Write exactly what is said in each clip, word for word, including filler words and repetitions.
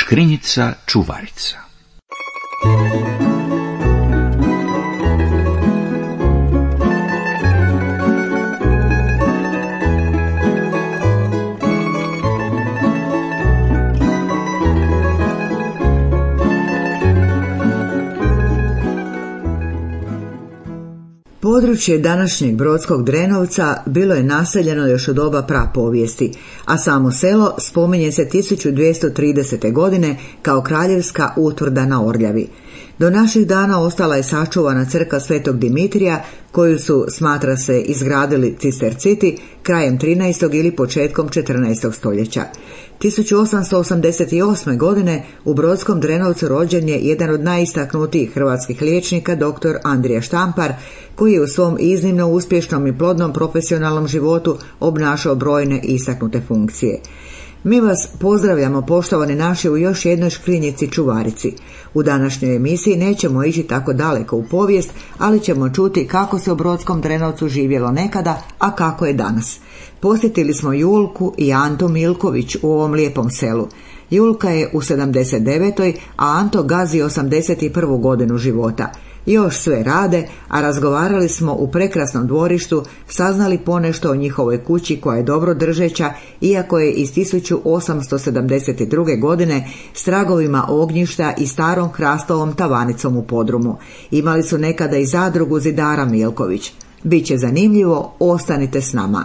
Škrinjica čuvarica. Područje današnjeg Brodskog Drenovca bilo je naseljeno još od doba prapovijesti, a samo selo spominje se tisuću dvjesto tridesete. godine kao kraljevska utvrda na Orljavi. Do naših dana ostala je sačuvana crkva Svetog Dimitrija, koju su, smatra se, izgradili cisterciti krajem trinaestog ili početkom četrnaestog stoljeća. tisuću osamsto osamdeset osme. godine u Brodskom Drenovcu rođen je jedan od najistaknutijih hrvatskih liječnika, doktor Andrija Štampar, koji je u svom iznimno uspješnom i plodnom profesionalnom životu obnašao brojne istaknute funkcije. Mi vas pozdravljamo, poštovani naši, u još jednoj škrinjici čuvarici. U današnjoj emisiji nećemo ići tako daleko u povijest, ali ćemo čuti kako se u Brodskom Drenovcu živjelo nekada, a kako je danas. Posjetili smo Julku i Antu Milković u ovom lijepom selu. Julka je u sedamdeset devetoj. a Anto gazi osamdeset prvu. godinu života. Još sve rade, a razgovarali smo u prekrasnom dvorištu, saznali ponešto o njihovoj kući koja je dobro držeća, iako je iz tisuću osamsto sedamdeset druge. godine s tragovima ognjišta i starom hrastovom tavanicom u podrumu. Imali su nekada i zadrugu zidara Milković. Biće zanimljivo, ostanite s nama.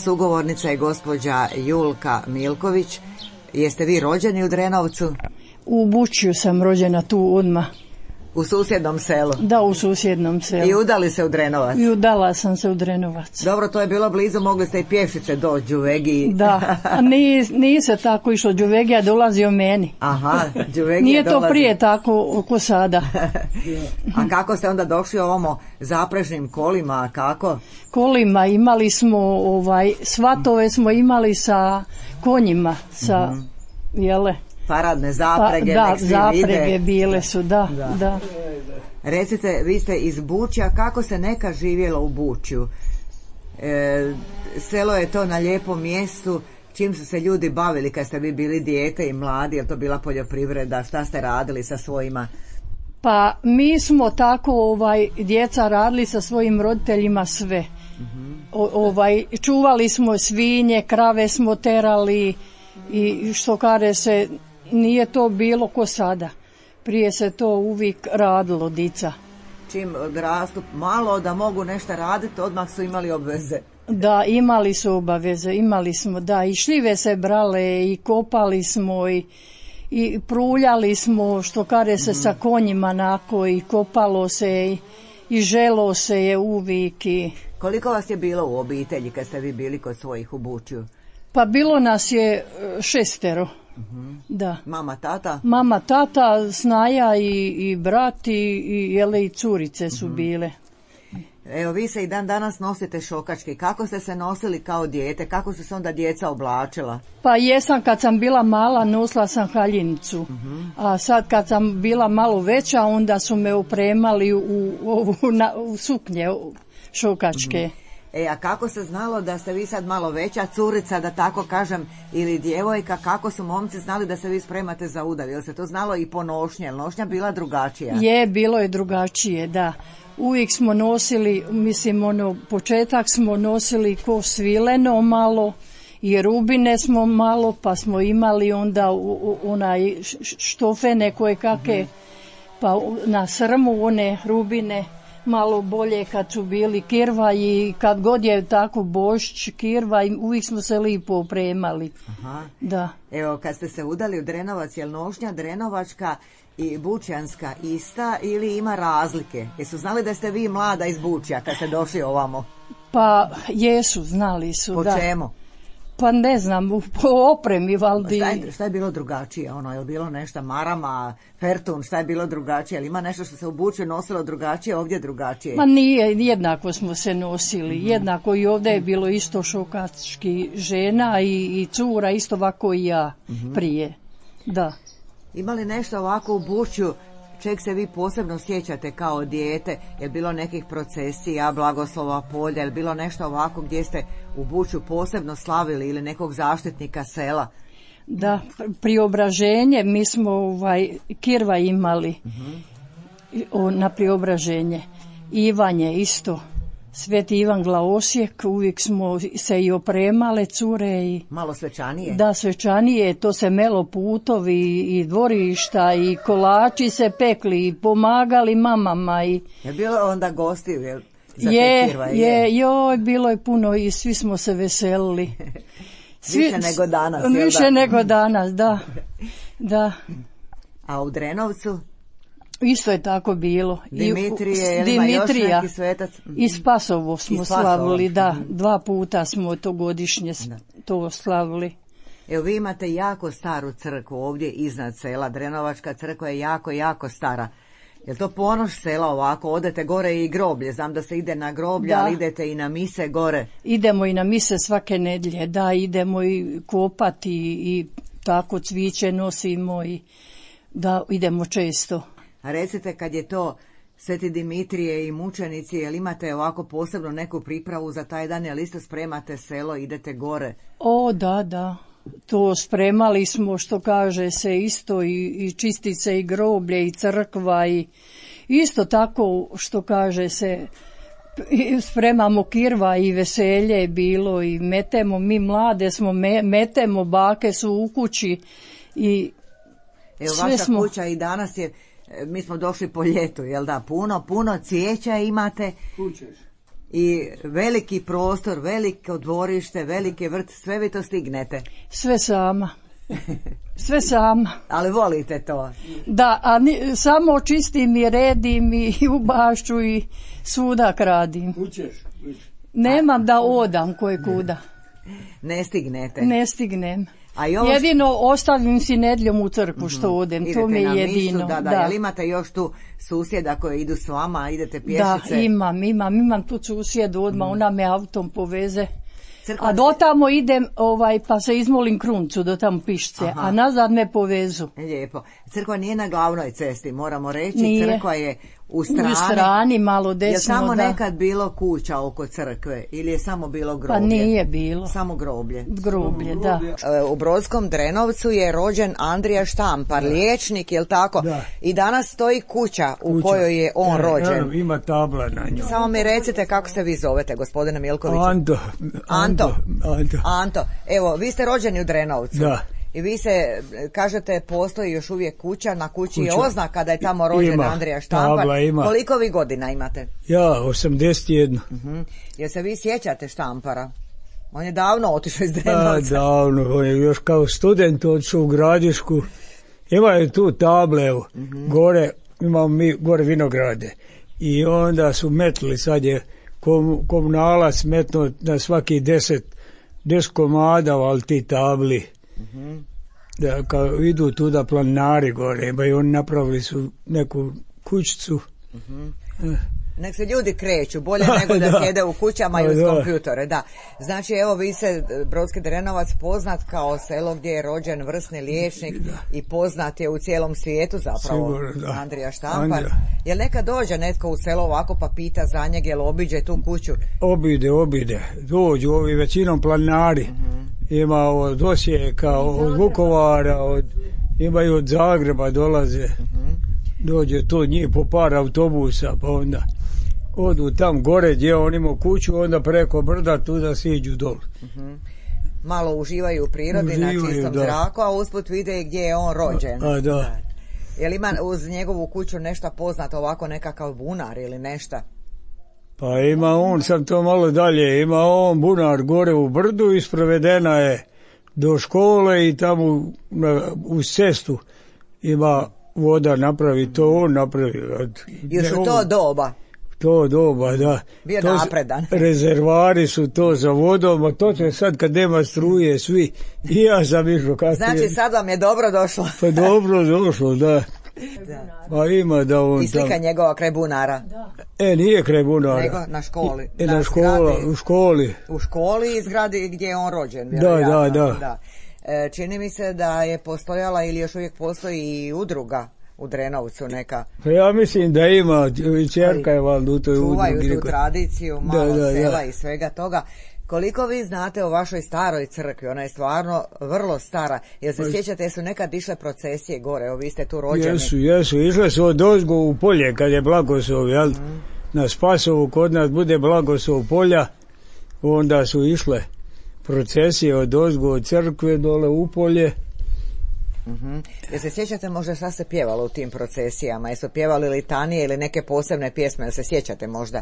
Sugovornica je gospođa Julka Milković. Jeste vi rođeni u Drenovcu? U Bučju sam rođena, tu odmah. U susjednom selu? Da, u susjednom selu. I udali se u Drenovac? I udala sam se u Drenovac. Dobro, to je bilo blizu, mogli ste i pješice do Đuvegi. Da, a nije, nije se tako išlo Đuvegija, dolazio meni. Aha, Đuvegija nije to dolazi. Prije tako oko sada. A kako ste onda došli ovamo zaprežnim kolima, kako? Kolima imali smo, ovaj, svatove smo imali sa konjima, sa, mm-hmm. jele, paradne zaprege, pa, da, nek svi zaprege vide. bile su, da, da, da. Recite, vi ste iz Bučja, kako se neka živjelo u Bučju? E, selo je to na lijepom mjestu, Čim su se ljudi bavili kad ste vi bili dijete i mladi, je li to bila poljoprivreda, šta ste radili sa svojima? Pa mi smo tako ovaj djeca radili sa svojim roditeljima sve. O, ovaj čuvali smo svinje, krave smo terali i što kaže se, nije to bilo ko sada. Prije se to uvijek radilo, dica. Čim odrastu malo da mogu nešto raditi, odmah su imali obveze. Da, imali su obaveze, imali smo, da, i šljive se brale i kopali smo i, i pruljali smo, što kaže se, mm-hmm. sa konjima nako i kopalo se i, i želo se je uvijek. I... Koliko vas je bilo u obitelji kad ste vi bili kod svojih u Bučju? Pa bilo nas je šestero. Mm-hmm. Da. Mama, tata? Mama, tata, snaja i, i brat i, i, jele, i curice su mm-hmm. bile. Evo, vi se i dan danas nosite šokački. Kako ste se nosili kao dijete? Kako su se onda djeca oblačila? Pa jesam, kad sam bila mala nosila sam haljinicu. Mm-hmm. A sad kad sam bila malo veća, onda su me opremali u, u, u, na, u suknje šokačke. Mm-hmm. E, a kako se znalo da ste vi sad malo veća curica, da tako kažem, ili djevojka, kako su momci znali da se vi spremate za udav? Jel se to znalo i po nošnje? Jel nošnja bila drugačija? Je, bilo je drugačije, da. Uvijek smo nosili, mislim, ono, početak smo nosili ko svileno malo i rubine smo malo, pa smo imali onda u, u, onaj štofene koje kake, mm-hmm. pa na srmu one rubine. Malo bolje kad su bili kirva i kad god je tako Božić, kirva, uvijek smo se lipo opremali. Aha. Da. Evo, kad ste se udali u Drenovac, je li nošnja drenovačka i bučjanska ista ili ima razlike? Jesu znali da ste vi mlada iz Bučja kad ste došli ovamo? Pa jesu, znali su. Po da. čemu? Pa ne znam, po opremi valdi. Šta je, šta je bilo drugačije? Ono, je li bilo nešto marama, fertun, šta je bilo drugačije? Ali ima nešto što se u Bučju nosilo drugačije, ovdje drugačije? Ma nije, jednako smo se nosili. Mm-hmm. Jednako i ovdje je bilo isto šokački žena i, i cura, isto ovako i ja mm-hmm. prije. Da. Ima li nešto ovako u Bučju čeg se vi posebno sjećate kao dijete? Je bilo nekih procesija, blagoslova polja, je bilo nešto ovako gdje ste u Bučju posebno slavili ili nekog zaštitnika sela? Da, Priobraženje, mi smo ovaj, kirva imali mm-hmm. o, na Priobraženje. Ivanje isto. Sveti Ivan Glaosijek, uvijek smo se i opremale cure. I, malo svečanije? Da, svečanije, to se melo putovi i dvorišta i kolači se pekli i pomagali mamama. I, je bilo onda gostiju, jel? Za je, kirva, je, je, joj, bilo je puno i svi smo se veselili. Svi, više nego danas, jel da? Više nego danas, da. Da. A u Drenovcu? Isto je tako bilo. Dimitrije, I, Dimitrija, još neki svetac? I Spasovo smo Spasovo. slavili, da, dva puta smo to godišnje da. to slavili. Evo, vi imate jako staru crkvu ovdje iznad sela, Drenovačka crkva je jako, jako stara. Je li to ponos sela ovako, odete gore i groblje, znam da se ide na groblje, da. Ali idete i na mise gore? Idemo i na mise svake nedjelje, da, idemo i kopati i, i tako cviće nosimo i da, idemo često. A recite, kad je to Sveti Dimitrije i mučenici, jel imate ovako posebno neku pripravu za taj dan, jel isto spremate selo, idete gore? O, da, da. To spremali smo, što kaže se, isto i, i čistice i groblje i crkva i isto tako, što kaže se, spremamo kirva i veselje je bilo i metemo, mi mlade smo, me, metemo, bake su u kući i evo, sve vaša smo... kuća i danas je, mi smo došli po ljetu, jel da, puno, puno cvijeća imate. Kućeš. I veliki prostor, veliko dvorište, veliki vrt, sve vi to stignete? Sve sama. Sve sama. Ali volite to? Da, a ni, samo čistim i redim i u bašću i svudak radim. Kućeš? Nemam da odam koje kuda. Ne stignete? Ne stignem. A još... Jedino ostavim si nedjeljom u crkvu što odem, idete to mi je na jedino. Misu, da, da, da. Jel imate još tu susjeda koji idu s vama, idete pješice? Da, imam, imam, imam tu susjedu odmah, mm. ona me autom poveze. Crkva... A do tamo idem, ovaj, pa se izmolim kruncu do tamo Pišce, aha. A nazad me povezu. Lijepo. Crkva nije na glavnoj cesti, moramo reći, nije. Crkva je u strani, u strani malo desno. Je samo da. nekad bilo kuća oko crkve ili je samo bilo groblje? Pa nije bilo. Samo groblje. Groblje, da. U Brodskom Drenovcu je rođen Andrija Štampar, da. liječnik, je li tako? Da. I danas stoji kuća u kuća. kojoj je on e, rođen. E, ima tabla na njoj. Samo mi recite kako se vi zovete, gospodine Milkoviću. Anto. Anto. Anto. Anto. Evo, vi ste rođeni u Drenovcu. Da. I vi se, kažete, postoji još uvijek kuća, na kući kuća. je oznaka da je tamo rođen ima, Andrija Štampar. Tabla ima. Koliko vi godina imate? Ja, osamdeset jedan. Uh-huh. Jer se vi sjećate Štampara? On je davno otišao iz Drenovca. Da, davno, on je još kao student otišao u Gradišku. Imaju tu table, uh-huh. gore, imamo mi gore vinograde. I onda su metli, sad je kom, komunalac metno na svaki deset, deset komada, ali ti tabli. Uh-huh. Da, kao idu tuda planinari gore, ba i oni napravili su neku kućicu. Uh-huh. eh. Nek se ljudi kreću, bolje nego da, da sjede u kućama i uz da. kompjutore, da. Znači, evo, vi se, Brodski Drenovac, poznat kao selo gdje je rođen vrsni liječnik da. i poznat je u cijelom svijetu zapravo. Sigurno, Andrija Štampar. Jel neka dođe netko u selo ovako pa pita za njeg, jel obiđe tu kuću? Obide, obide. Dođu ovi većinom planinari. Uh-huh. Ima od Osijeka, od Vukovara, od, imaju od Zagreba dolaze. Uh-huh. Dođe to njih po par autobusa, pa onda odu tam gore gdje on ima kuću, onda preko brda tu da siđu dol. Uh-huh. Malo uživaju u prirodi, uživaju, na čistom da. zraku, a usput vide gdje je on rođen. A, a da. Je li ima uz njegovu kuću nešto poznato, ovako nekakav bunar ili nešto? Pa ima on, sam to malo dalje, ima on bunar gore u brdu i sprovedena je do škole i tamo na, uz cestu ima voda napravi, to on napravi. Još u to doba? To doba, da. Bio to napredan. Rezervari su to za vodom, a to će sad kad nema struje svi. I ja sam išao kasnije. Znači sad vam je dobro došlo. Pa dobro došlo, da. Da. Pa ima da on i slika tam... njegova kraj bunara. Da. E, nije kraj bunara. Nego na školi. E, na, na škola, zgradi, u školi. U školi i zgradi gdje je on rođen. Da, da, da, da. E, čini mi se da je postojala ili još uvijek postoji i udruga u Drenovcu neka. Pa ja mislim da ima, i čerka je valjda u toj udrugi. Čuvaju tu tradiciju, malo da, da, sela da. i svega toga. Koliko vi znate o vašoj staroj crkvi? Ona je stvarno vrlo stara. Jel se sjećate, su nekad išle procesije gore? Evo, vi ste tu rođeni. Jesu, jesu. Išle su od ozgo u polje kad je blagoslov, jel? Mm. Na Spasovu kod nas bude blagoslov polja, onda su išle procesije od ozgo od crkve dole u polje. Mm-hmm. Jel se sjećate možda šta se pjevalo u tim procesijama? Jesu pjevali litanije ili neke posebne pjesme? Jel se sjećate možda?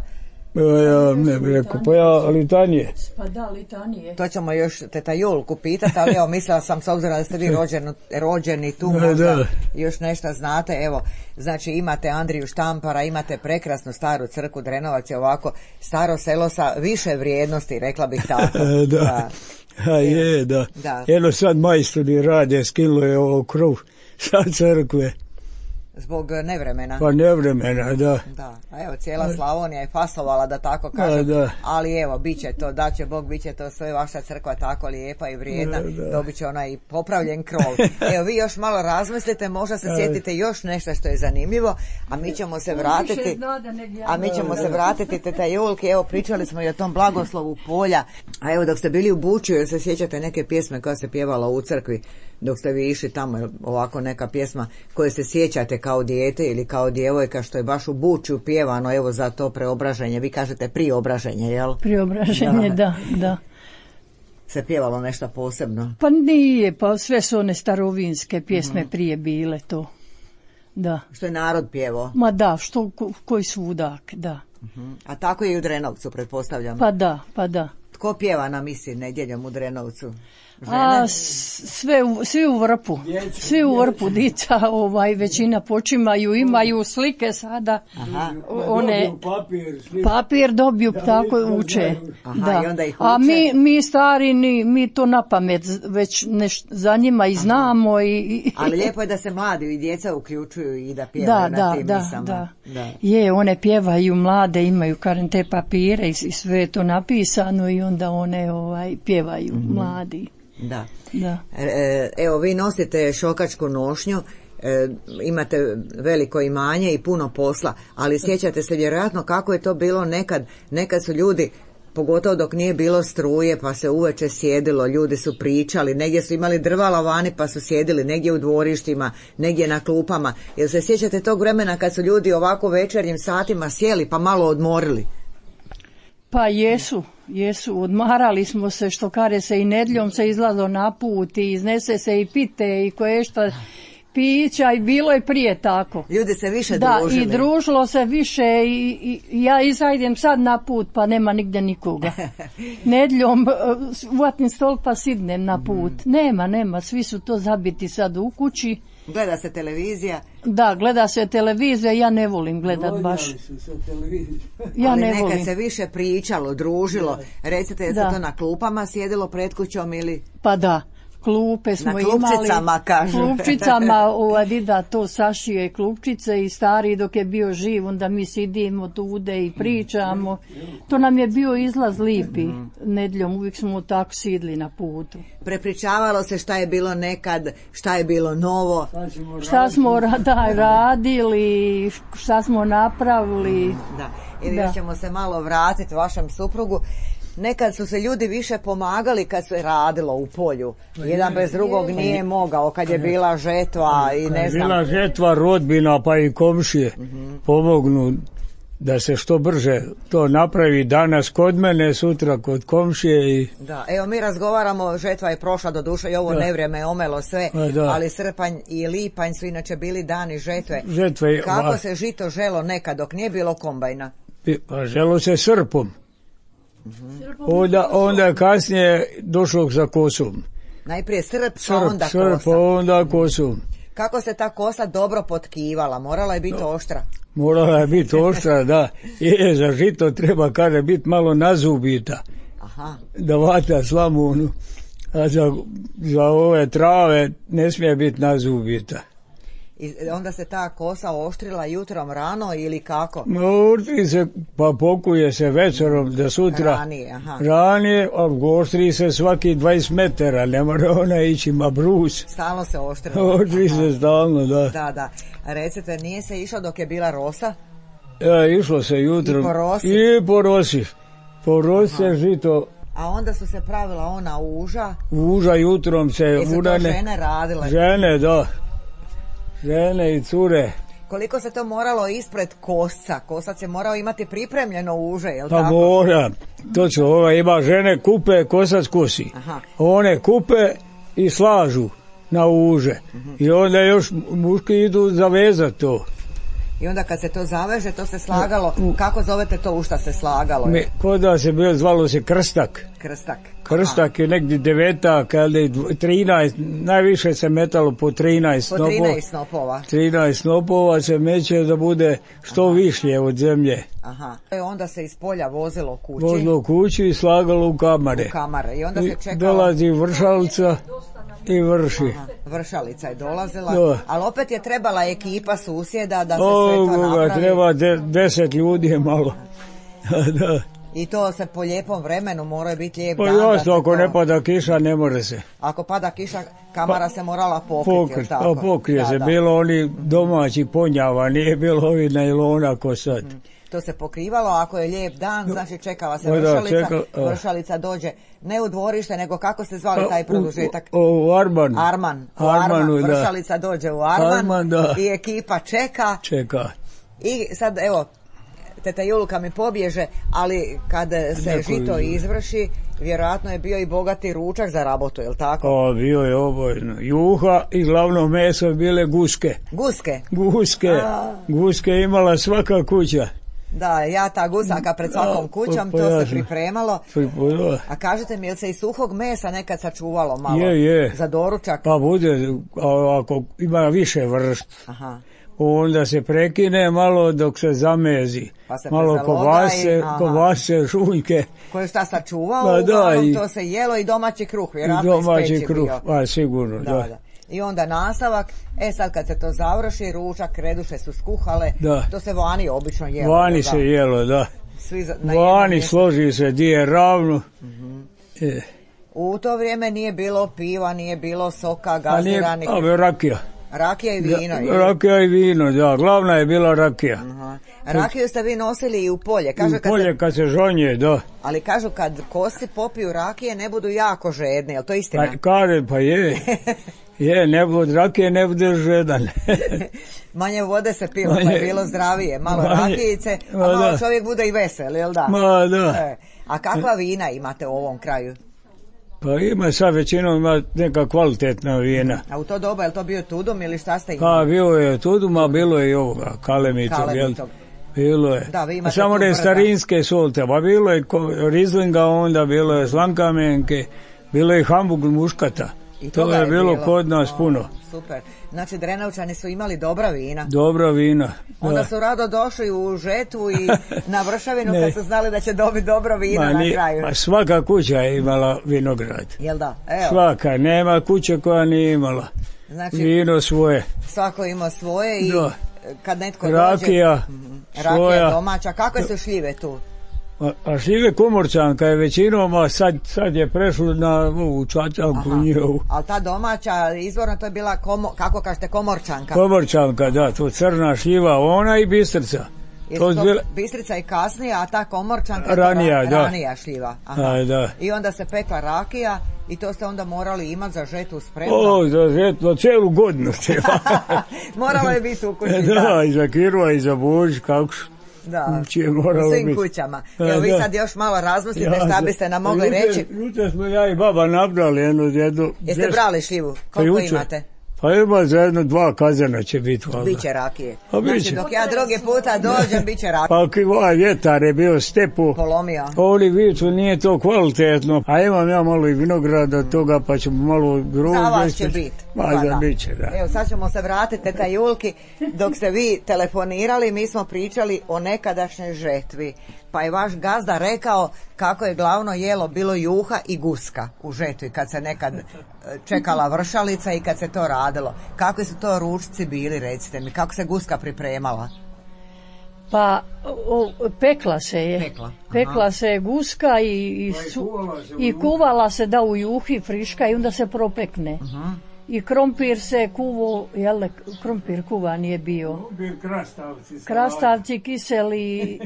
Ja ne bih rekao, pa ja litanije. Pa da, litanije. To ćemo još teta Julku pitati, ali evo mislila sam s obzirom da ste vi rođeni, rođeni tu da, možda da. još nešto znate. Evo, znači imate Andriju Štampara, imate prekrasnu staru crkvu Drenovac, je ovako staro selo sa više vrijednosti, rekla bih tako. da. da. A je, da. da. Jedno sad majstori rade, skinulo je ovo krov sa crkve. Zbog nevremena. Pa nevremena, da. Da, a evo cijela Slavonija je fasovala, da tako kažem, da, da. Ali evo, bit će to, da će Bog, bit će to sve, vaša crkva tako lijepa i vrijedna, da, da. Dobit će onaj popravljen krov. Evo, vi još malo razmislite, možda se sjetite još nešto što je zanimljivo, a mi ćemo se vratiti, a mi ćemo se vratiti teta Julki, evo, pričali smo i o tom blagoslovu polja, a evo, dok ste bili u Bučju, jel se sjećate neke pjesme koja se pjevala u crkvi, dok ste vi išli tamo, ovako neka pjesma koje se sjećate kao dijete ili kao djevojka što je baš u Bučju pjevano, evo za to preobraženje, vi kažete priobraženje, jel? Priobraženje, da, da. da. Se pjevalo nešto posebno? Pa nije, pa sve su one starovinske pjesme mm-hmm. prije bile to, da. Što je narod pjevao? Ma da, što, ko, koji svudak, da. Mm-hmm. A tako je i u Drenovcu, pretpostavljam? Pa da, pa da. Tko pjeva na misi nedjeljom u Drenovcu? Žene? A sve u, svi u vrpu, svi u vrpu dica, ovaj, većina počimaju, imaju slike sada. Aha. One papir, papir dobiju, tako uče. Aha, da. I onda ih uče. A mi, mi stari, ni, mi to na pamet već neš, za njima i znamo. I, i, ali lijepo je da se mladi i djeca uključuju i da pjevaju da, na da, tim da, misama. Da. Da. Je, one pjevaju mlade, imaju karen te papire i, i sve je to napisano i onda one ovaj, pjevaju mm-hmm. mladi. Da. da. E, evo, vi nosite šokačku nošnju e, imate veliko imanje i puno posla, ali sjećate se vjerojatno kako je to bilo nekad, nekad su ljudi, pogotovo dok nije bilo struje, pa se uveče sjedilo, ljudi su pričali, negdje su imali drvala vani pa su sjedili, negdje u dvorištima, negdje na klupama. Jel se sjećate tog vremena kad su ljudi ovako večernjim satima sjeli pa malo odmorili? Pa jesu, jesu, odmarali smo se, što kare se i nedljom se izlazo na put i iznese se i pite i koje šta pića i bilo je prije tako. Ljudi se više da, družili. Da, i družilo se više i, i ja izajdem sad na put pa nema nigdje nikoga. Nedljom uvatim stol pa sidnem na put. Mm. Nema, nema, svi su to zabiti sad u kući. Gleda se televizija. Da, gleda se televizija, ja ne volim gledat baš. Ja ali ne nekad volim. se više pričalo, družilo. Recite, je se to na klupama sjedilo pred kućom ili? Pa da. Klupe smo na klupčicama, imali, kažu. klupčicama, ova dida to sašije klupčice i stari dok je bio živ, onda mi sidimo tude i pričamo. To nam je bio izlaz lipi, nedljom, uvijek smo tako sidli na putu. Prepričavalo se šta je bilo nekad, šta je bilo novo. Šta smo da, radili, šta smo napravili. Da, ili još ćemo se malo vratiti vašem suprugu. Nekad su se ljudi više pomagali kad se radilo u polju. Jedan bez drugog nije mogao kad je bila žetva i ne znam. Bila žetva, rodbina pa i komšije uh-huh. pomognu da se što brže to napravi, danas kod mene, sutra kod komšije. I... Da, evo mi razgovaramo, žetva je prošla do duše i ovo da. Nevrijeme je omelo sve, da. Ali srpanj i lipanj su inače bili dani žetve. Žetve Kako va... se žito želo nekad dok nije bilo kombajna? Pa želo se srpom. Mm-hmm. Onda, onda kasnije došlo za kosom. Najprije srp, srp pa onda srp, kosa. Pa onda kosom. Kako se ta kosa dobro potkivala? Morala je biti oštra. Morala je biti oštra, da. Je, za žito treba, kaže, biti malo nazubita. Aha. Da vata slamu, a za, za ove trave ne smije biti nazubita. I onda se ta kosa oštrila jutrom rano ili kako? No, oštri se, pa pokuje se večerom da sutra ranije, aha. ranije, a oštri se svaki dvadeset metara, ne mora ona ići ma brus. Stalno se oštrila. Oštri se stalno, da. Da, da. Recite, nije se išlo dok je bila rosa? E, išlo se jutrom. I po rosi? I po rosi. Po rosi se žito. A onda su se pravila ona uža? Uža jutrom se. I su urane, to žene radile? Žene, da. Žene i cure. Koliko se to moralo ispred kosca? Kosac je morao imati pripremljeno uže, je li pa tako? Pa mora. Točno, ova ima žene kupe, kosac kosi. Aha. One kupe i slažu na uže. Uh-huh. I onda još muški idu zavezati to. I onda kad se to zaveže, to se slagalo. Kako zovete to u šta se slagalo? Me, kod da se bilo, zvalo se krstak. Krstak. Krstak Aha. je negdje devetak, ali trinaest, najviše se metalo po trinaest po snopova. trinaest snopova. trinaest snopova se meće da bude što Aha. višlje od zemlje. Aha. I onda se iz polja vozilo kući. Vozilo kući i slagalo u kamare. U kamare. I onda se čekalo. Dolazi vršalica i vrši. Aha. Vršalica je dolazila, da. Ali opet je trebala ekipa susjeda da se o, sve to napravi. Treba de, deset ljudi je malo. Da. I to se po lijepom vremenu mora biti lijep pa dan. Pa jasno, ako to... ne pada kiša, ne more se. Ako pada kiša, kamara pa, se morala pokriti. Pokrit, pa pokrije da, se, da. Bilo oni domaći ponjava, nije bilo ovi najlona ko sad. Hmm. To se pokrivalo, ako je lijep dan, znači čekala se vršalica, da, čeka, vršalica dođe ne u dvorište, nego kako ste zvali taj produžetak? U, u Arman. Arman, u Armanu, Arman. Vršalica da. dođe u Arman, Arman da. I ekipa čeka. Čeka. I sad, evo, teta Julka mi pobježe, ali kad se Neko žito izvrši, vjerojatno je bio i bogati ručak za rabotu, je li tako? O, bio je obojno. Juha i glavno meso bile guske. Guske? Guske. A. Guske imala svaka kuća. Da, ja ta gusaka pred svakom kućom, to se pripremalo. A kažete mi, je li se i suhog mesa nekad sačuvalo malo? Je, je. Za doručak? Pa bude, ako ima više vrst. Aha. Onda se prekine malo dok se zamezi. Pa se malo kovase, kovase, šunjke. Koje šta sačuvao, pa da, i, to se jelo i domaći kruh, vjerojatno i domaći kruh, a sigurno, da, da. da. I onda nastavak, e sad kad se to završi, ručak, reduše su skuhale, da. To se vani obično jelo. Vani da, se jelo, da. Svi za, na vani složi se di je ravno. Mm-hmm. E. U to vrijeme nije bilo piva, nije bilo soka, gaziranih. A nije, a rakija. Rakija i vino. Da, rakija i vino, da, glavna je bila rakija. Aha. Rakiju ste vi nosili i u polje. Kažu, u polje kad se, kad se žonje, da. Ali kažu kad kosi popiju rakije ne budu jako žedni, je li to istina? Pa, kaže, pa je. Je, ne bude rakije, ne bude žedan. Manje vode se pilo, manje, pa je bilo zdravije. Malo manje, rakijice, a malo da. Čovjek bude i vesel, jel da? Ma, da. E, a kakva vina imate u ovom kraju? Pa ima sad većinom ima neka kvalitetna vina. A u to doba je li to bio Tudum ili šta ste imali? Pa bio je Tudum, a bilo je i ovoga, Kalemitog. Kalemitog. Bilo je. Da, vi imate samo ne starinske solte, pa bilo je Rizlinga, onda bilo je Slankamenke, bilo je Hamburg muškata. I to je, je bilo, bilo kod nas o, puno. Super. Znači Drenovčani su imali dobra vina. Dobra vina. Da. Onda su rado došli u žetvu i na Vršavinu kad su znali da će dobiti dobro vino ma, na kraju. Ma svaka kuća je imala vinograd. Jel da? Evo. Svaka, nema kuće koja nije imala. Znači, vino svoje. Svako ima svoje i da. Kad netko rakija, dođe... Rakija domaća. Kakve su šljive tu? A, a šljive Komorčanka je većinom, a sad, sad je prešlo na ovu Čačanku njihovu. Ali ta domaća, izvorno to je bila, komo, kako kažete, Komorčanka? Komorčanka, da, to crna šljiva, ona i Bistrica. To to bila... Bistrica i kasnija, a ta Komorčanka ranija, ra, da. ranija šljiva. Aha. A, da. I onda se pekla rakija i to ste onda morali imati za žetu spremno. O, za žetu, cijelu godinu. Moralo je biti u kući. Da, da, i za Kirva i za Božić, kako su. Da, u svim biti. Kućama. Evo vi sad još malo razmislite ja, šta biste nam mogli juče, reći. Juče smo ja i baba nabrali jednu. jednu Jeste džest... brali šljivu? Koliko pa imate? Pa ima za jedno dva kazana će biti. Biće rakije. Pa znači biće. Dok ja drugi puta dođem biće rakije. Pa ovaj vjetar je bio stepu. Polomio. Ovdje viču nije to kvalitetno. A imam ja malo i vinograda toga pa ćemo malo grožđe. Za vas će biti. Ma za biće, da. Evo sad ćemo se vratiti teta Julki. Dok ste vi telefonirali mi smo pričali o nekadašnjoj žetvi. Pa je vaš gazda rekao kako je glavno jelo bilo juha i guska u žetvi kad se nekad čekala vršalica i kad se to radilo. Kakvi su to ručci bili, recite mi, kako se guska pripremala? Pa o, pekla se je. Pekla, pekla se je guska i, i, su, i kuvala se da u juhi friška i onda se propekne. Aha. I krompir se kuvo, jel, krompir kuva nije bio. Krompir, krastavci. Krastavci, kiseli,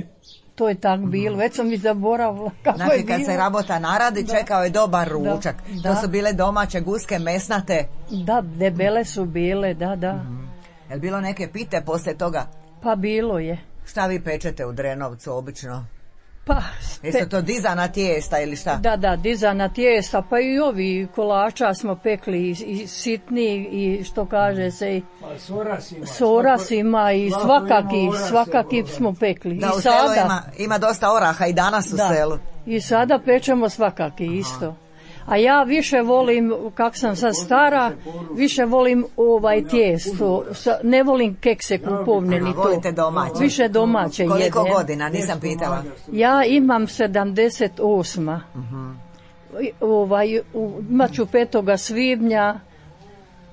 to je tak bilo. Već sam mi zaboravila kako znači, je bilo. Znači kad se rabota naradi, da. Čekao je dobar ručak. Da. To su bile domaće guske, mesnate. Da, debele su bile, da, da. Mm-hmm. Je li bilo neke pite poslije toga? Pa bilo je. Šta vi pečete u Drenovcu obično? Pa, jesu to dizana tijesta ili šta? Da, da, dizana tijesta, pa i ovi kolača smo pekli i, i sitni i što kaže se i sorasima, sorasima i svakaki, svakaki smo pekli. Da, i u sada, selu ima, ima dosta oraha i danas u da, selu. I sada pečemo svakaki isto. A ja više volim, kak sam sad stara, više volim ovaj tijesto, ne volim kekse kupovne ni to. Volite domaće? Više domaće jedem. Koliko godina, nisam pitala? Ja imam sedamdeset osam. Uh-huh. Ovaj, imat ću petoga svibnja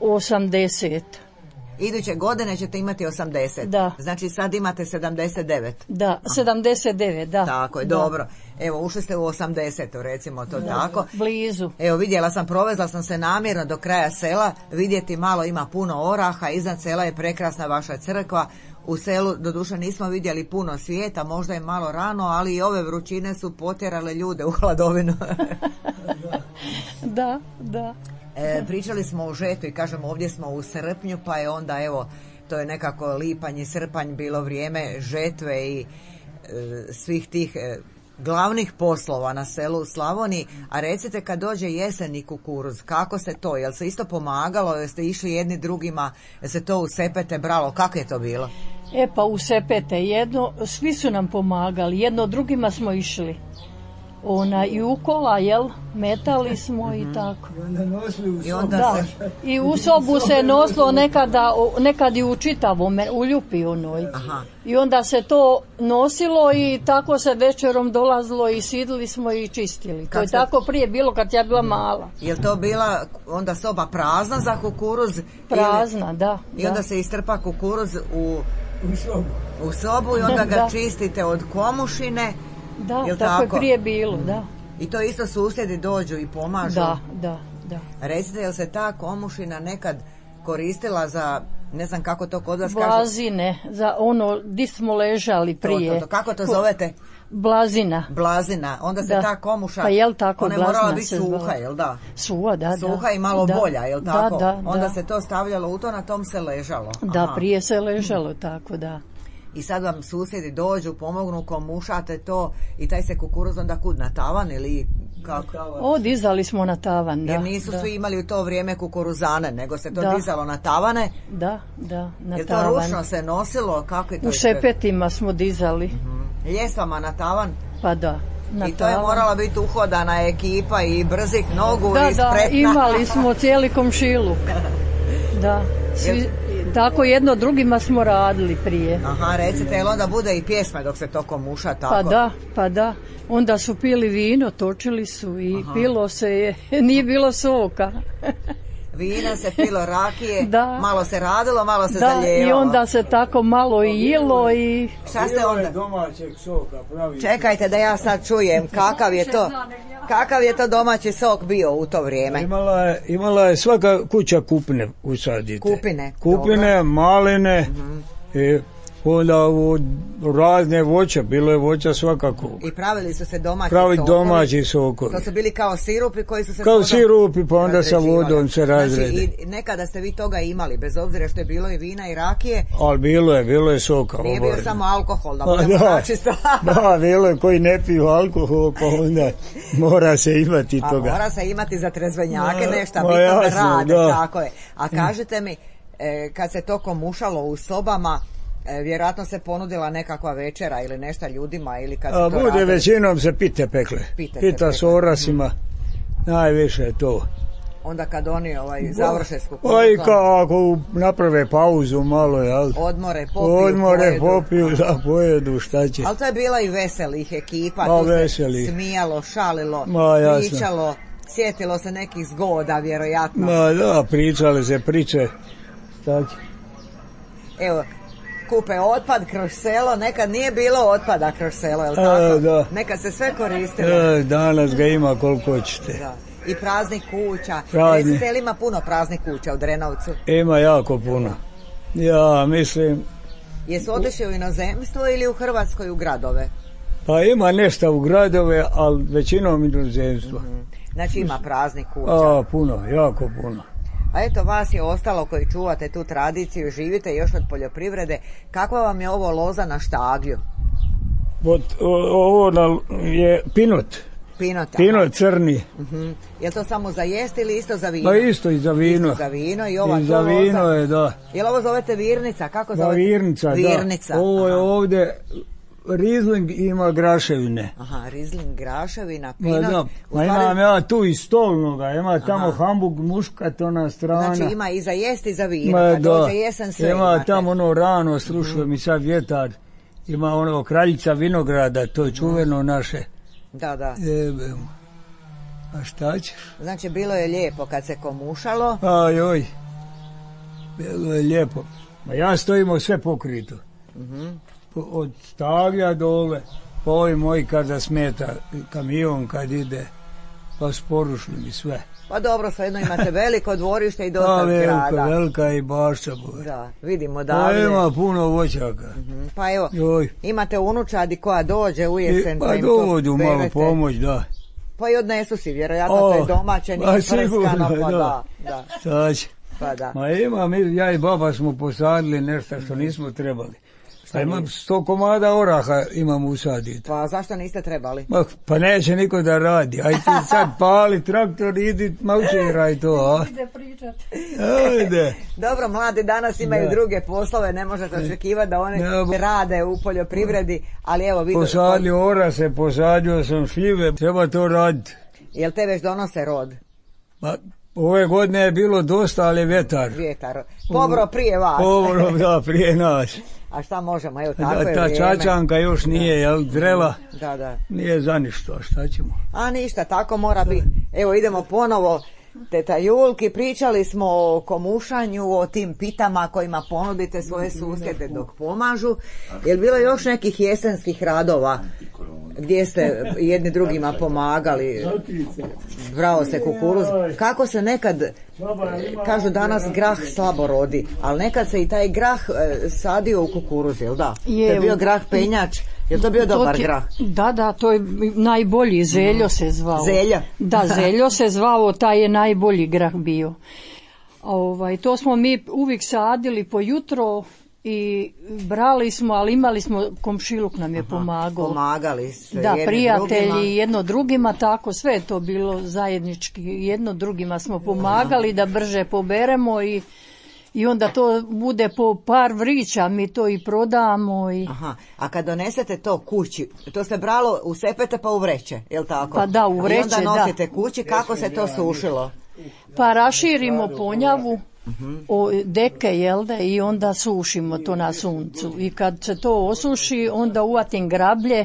osamdeset. Iduće godine ćete imati osamdeset. Da. Znači sad imate sedamdeset devet. Da, aha. sedamdeset devet, da. Tako je, da. Dobro. Evo, ušli ste u osamdeset, recimo to da. Tako. Blizu. Evo, vidjela sam, provezla sam se namjerno do kraja sela, vidjeti malo ima puno oraha, iznad sela je prekrasna vaša crkva. U selu, doduše, nismo vidjeli puno svijeta, možda je malo rano, ali i ove vrućine su potjerale ljude u hladovinu. Da, da. E, pričali smo o žetu i kažemo ovdje smo u srpnju, pa je onda evo to je nekako lipanj i srpanj bilo vrijeme žetve i e, svih tih e, glavnih poslova na selu u Slavoniji. A recite kad dođe jesen i kukuruz, kako se to, jel se isto pomagalo, jel ste išli jedni drugima, jel se to u sepete bralo, kako je to bilo? E pa u sepete jedno, svi su nam pomagali, jedno drugima smo išli. Ona i u kola, jel, metali smo i tako. I onda nosili u sobu. I, onda da. se... I u sobu se nosilo nekada, nekad i u čitavom, u ljupi onoj. Aha. I onda se to nosilo i tako se večerom dolazilo i sidili smo i čistili. Kak to je se... tako prije bilo kad ja bila mala. Je li to bila onda soba prazna za kukuruz? Prazna, ili... da. I onda da. se istrpa kukuruz u, u, sobu. u sobu i onda ga da. čistite od komušine. Da, tako, tako je prije bilo, da. I to isto susjedi dođu i pomažu. Da, da, da. Recite, jel se ta komušina nekad koristila za, ne znam kako to kod vas kaže. Blazine, za ono di smo ležali prije. To, to, to. Kako to zovete? Blazina. Blazina, onda se da. ta komuša, pa jel tako, ona je morala biti suha, jel da? Suha, da, Suha da. i malo da. bolja, jel tako? Da, da, onda da. se to stavljalo u to, na tom se ležalo. Da, Aha. prije se ležalo tako, da. I sad vam susjedi dođu, pomognu, komušate to i taj se kukuruz onda kud, na tavan ili kako? O, dizali smo na tavan, da. Jer nisu da. svi imali u to vrijeme kukuruzane, nego se to da. dizalo na tavane. Da, da, na Jer tavan. to ručno se nosilo, kako je to? U šepetima smo dizali. Mm-hmm. Ljesvama na tavan? Pa da. Na I to tavan. je morala biti uhodana ekipa i brzih nogu da, i spretna. Da, imali smo cijeli komšiluk. Da, svi, tako jedno drugima smo radili prije. Aha, recite, jel onda bude i pjesma dok se to komuša tako? Pa da, pa da. Onda su pili vino, točili su i Aha. pilo se je, nije bilo soka. Vina se pilo, rakije, da. malo se radilo, malo se da, zalijevalo. I onda se tako malo i jilo i... Šta ste onda? Domaćeg soka, pravi. Čekajte da ja sad čujem kakav je to, kakav je to domaći sok bio u to vrijeme. Imala je, imala je svaka kuća kupine usadite. Kupine. Kupine, dobro. Maline, mm-hmm. i onda u razne voća, bilo je voća svakako. I pravili su se domaći Pravi sokovi. domaći sokovi. To su bili kao sirupi koji su se kao sirupi, pa onda sa vodom se razrede. Znači, i nekada ste vi toga imali, bez obzira što je bilo i vina i rakije. Ali bilo je, bilo je soka. Nije bio samo alkohol, da pa, budemo da, načisto. da, bilo je koji ne piju alkohol, pa onda mora se imati a toga. Mora se imati za trezvenjake nešto, ma, bitno jasno, da rade, da. tako je. A kažete mi, e, kad se to komušalo u sobama, E, vjerojatno se ponudila nekakva večera ili nešto ljudima ili kad se A, to bude radili. većinom se pite pekle. Pite Pita s orasima, najviše je to. Onda kad oni ovaj, završe s kukuruzom. Pa i kako naprave pauzu malo, jel? Odmore, popiju, Odmore, pojedu. popiju, da pojedu, šta će. Ali to je bila i veselih ekipa, A, tu veseli. se smijalo, šalilo, Ma, pričalo, sjetilo se nekih zgoda, vjerojatno. Ma da, pričale se priče, šta će. Evo, kupe otpad kroz selo, nekad nije bilo otpada kroz selo, je li tako? E, da. Nekad se sve koristilo. E, danas ga ima koliko hoćete. Da. I praznih kuća. Prazni. Recite, li ima puno praznih kuća u Drenovcu? Ima jako puno. Ja mislim... Jesu otišli u inozemstvo ili u Hrvatskoj u gradove? Pa ima nešto u gradove, ali većinom inozemstvo. Mm-hmm. Znači ima praznih kuća. A, puno, jako puno. A eto, vas je ostalo koji čuvate tu tradiciju, živite još od poljoprivrede. Kakva vam je ovo loza na štaglju? Od, o, ovo na, je pinot. Pinot, Pinot crni. Uh-huh. Je to samo za jesti ili isto za vino? Pa isto i za vino. Isto za vino i ova I za vino loza. je, da. Je li ovo zovete virnica? Kako da, zovete? Virnica, virnica, da. Ovo je aha. ovdje... Riesling ima graševine. Aha, Riesling graševina, pinot. Ma, da. Ma stvari... imam ja tu i stolnoga, ima tamo Aha. Hamburg muškat, ona strana. Znači ima i za jesti i za vino, Ma, kad da. dođe jesen sve ima imate. tamo ono rano, slušuje mm. mi sad vjetar, ima ono kraljica vinograda, to je čuveno naše. Da, da. Jebe. A šta ćeš? Znači bilo je lijepo kad se komušalo. Aj, oj, bilo je lijepo. Ma ja stojimo sve pokrito. Mm-hmm. Od staglja dole, pa ovi moji kada smeta kamion kad ide, pa sporušli mi sve. Pa dobro, svejedno imate veliko dvorište i dosta pa, zgrada. Velika, velika i bašća. Da, vidimo da. davde. Pa ima puno voćaka. Mm-hmm. Pa evo, Joj. imate unučadi koja dođe u jesen. I, pa pa dođu malo pomoć, da. Pa i odnesu si, vjerojatno o, to je domaće, nije prskano, pa da. da. da. Saći. Pa da. Ma ima, mi, ja i baba smo posadili nešto što nismo trebali. Pa imam sto komada oraha imam usaditi. Pa zašto niste trebali? Ma, pa neće niko da radi. Aj ti sad pali traktor, idi maučiraj to, a? Ide pričat. Ajde. Dobro, mladi danas imaju da. druge poslove, ne možete očekivati da oni ja, rade u poljoprivredi, ali evo vidio... Posadio orase, posadio sam šljive, treba to raditi. Jel te već donose rod? Ma, ove godine je bilo dosta, ali vjetar. Vjetar. Pobro prije vas. Pobro, da, prije nas. A šta možemo, evo tako da, je ta vrijeme. čačanka još nije, jel, zrela, da, da. nije za ništa, šta ćemo? A ništa, tako mora biti. Evo idemo ponovo, teta Julki, pričali smo o komušanju, o tim pitama kojima ponudite svoje susjede dok pomažu. Je li bilo još nekih jesenskih radova? gdje ste jedni drugima pomagali, brao se kukuruz. Kako se nekad, kažu danas grah slabo rodi, ali nekad se i taj grah sadio u kukuruz, jel da? Je, to je bio grah penjač, je to bio dobar to ti, grah? Da, da, to je najbolji, zeljo se zvao. Zeljo? Da, zeljo se zvao, taj je najbolji grah bio. Ovaj, to smo mi uvijek sadili po jutro i brali smo, ali imali smo, komšiluk nam je Aha, pomagao. Pomagali ste da, jedni prijatelji drugima. jedno drugima, tako sve je to bilo zajednički, jedno drugima smo pomagali da brže poberemo i, i onda to bude po par vrića, mi to i prodamo. I... Aha, a kad donesete to kući, to ste bralo u sepete pa u vreće, jel tako? Pa da, u vreće, i onda nosite da. kući, kako se to sušilo? Pa raširimo ponjavu, o deke, jel da, i onda sušimo to na suncu. I kad se to osuši, onda uvatim grablje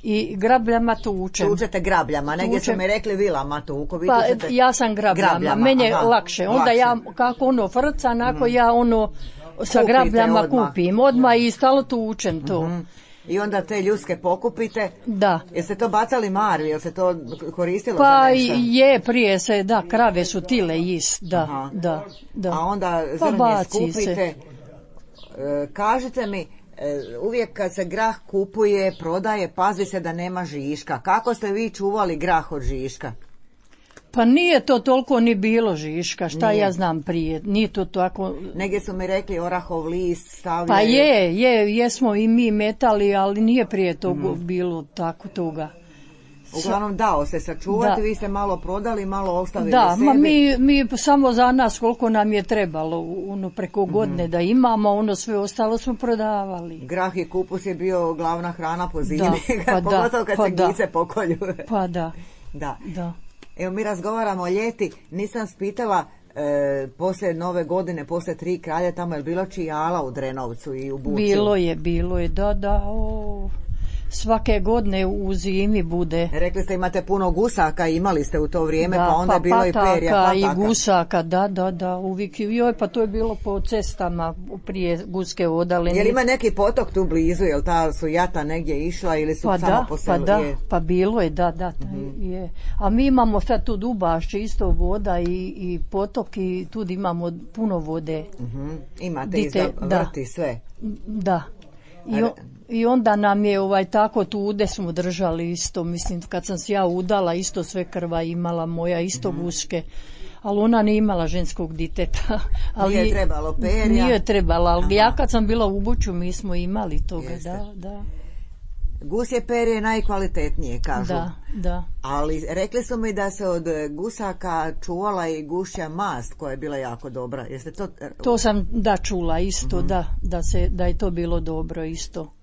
i grabljama tučem. Tučete grabljama, negdje su mi rekli vilama tuku. Pa ja sam grabljama, grabljama meni je lakše. Onda lakše. Ja, kako ono frca, nako mm. ja ono sa Kupite grabljama odmah. kupim odmah i stalo tučem to. Mm-hmm. I onda te ljuske pokupite. Da. Jeste to bacali Mariju, jel se to koristilo pa za nešto? Pa je, prije se, da, krave su tile jest, da, Aha. da, da. A onda pa zrnje skupite. Se. E, kažite mi, e, uvijek kad se grah kupuje, prodaje, pazi se da nema žiška. Kako ste vi čuvali grah od žiška? Pa nije to toliko ni bilo žiška, šta nije. Ja znam prije, nije to tako... Negdje su mi rekli orahov list stavljaju... Pa je, je, jesmo i mi metali, ali nije prije toga mm. bilo tako toga. Uglavnom dao se sačuvati, da. Vi ste malo prodali, malo ostavili da, sebi. Da, mi, mi samo za nas koliko nam je trebalo, ono preko godine mm. da imamo, ono sve ostalo smo prodavali. Grah i kupus je bio glavna hrana po zimi, da, pa pogotovo kad pa se da. gice pokolju. Pa da, da. da. Evo mi razgovaramo o ljeti, nisam spitala e, poslije nove godine, poslije tri kralja, tamo je bilo čijala u Drenovcu i u Bučju? Bilo je, bilo je, da, da, o, svake godine u zimi bude. Rekli ste imate puno gusaka, imali ste u to vrijeme, da, pa onda pa je bilo i perja, pataka. I gusaka, da, da, da, uvijek, joj, pa to je bilo po cestama prije Guske odaline. Jel ima neki potok tu blizu, jel ta su jata negdje išla ili su pa samo da, po selu? Pa da, je. pa bilo je, da, da, mm-hmm. je. A mi imamo sad tu Dubašće, isto voda i, i potok i tu imamo puno vode. Mm-hmm. Imate i za vrti sve? Da. I, o, I onda nam je ovaj tako tu ude smo držali isto, mislim kad sam se ja udala isto sve krva imala moja isto mm-hmm. guške, ali ona nije imala ženskog diteta. Ali nije trebalo perja? Nije trebala, ali Aha. ja kad sam bila u Bučju mi smo imali toga, Jeste. da, da. Gusje perje je najkvalitetnije, kažu. Da, da. Ali rekli su mi da se od gusaka čuvala i gušja mast koja je bila jako dobra. Jeste to... To sam da čula isto, mm-hmm. da, da, se, da je to bilo dobro isto.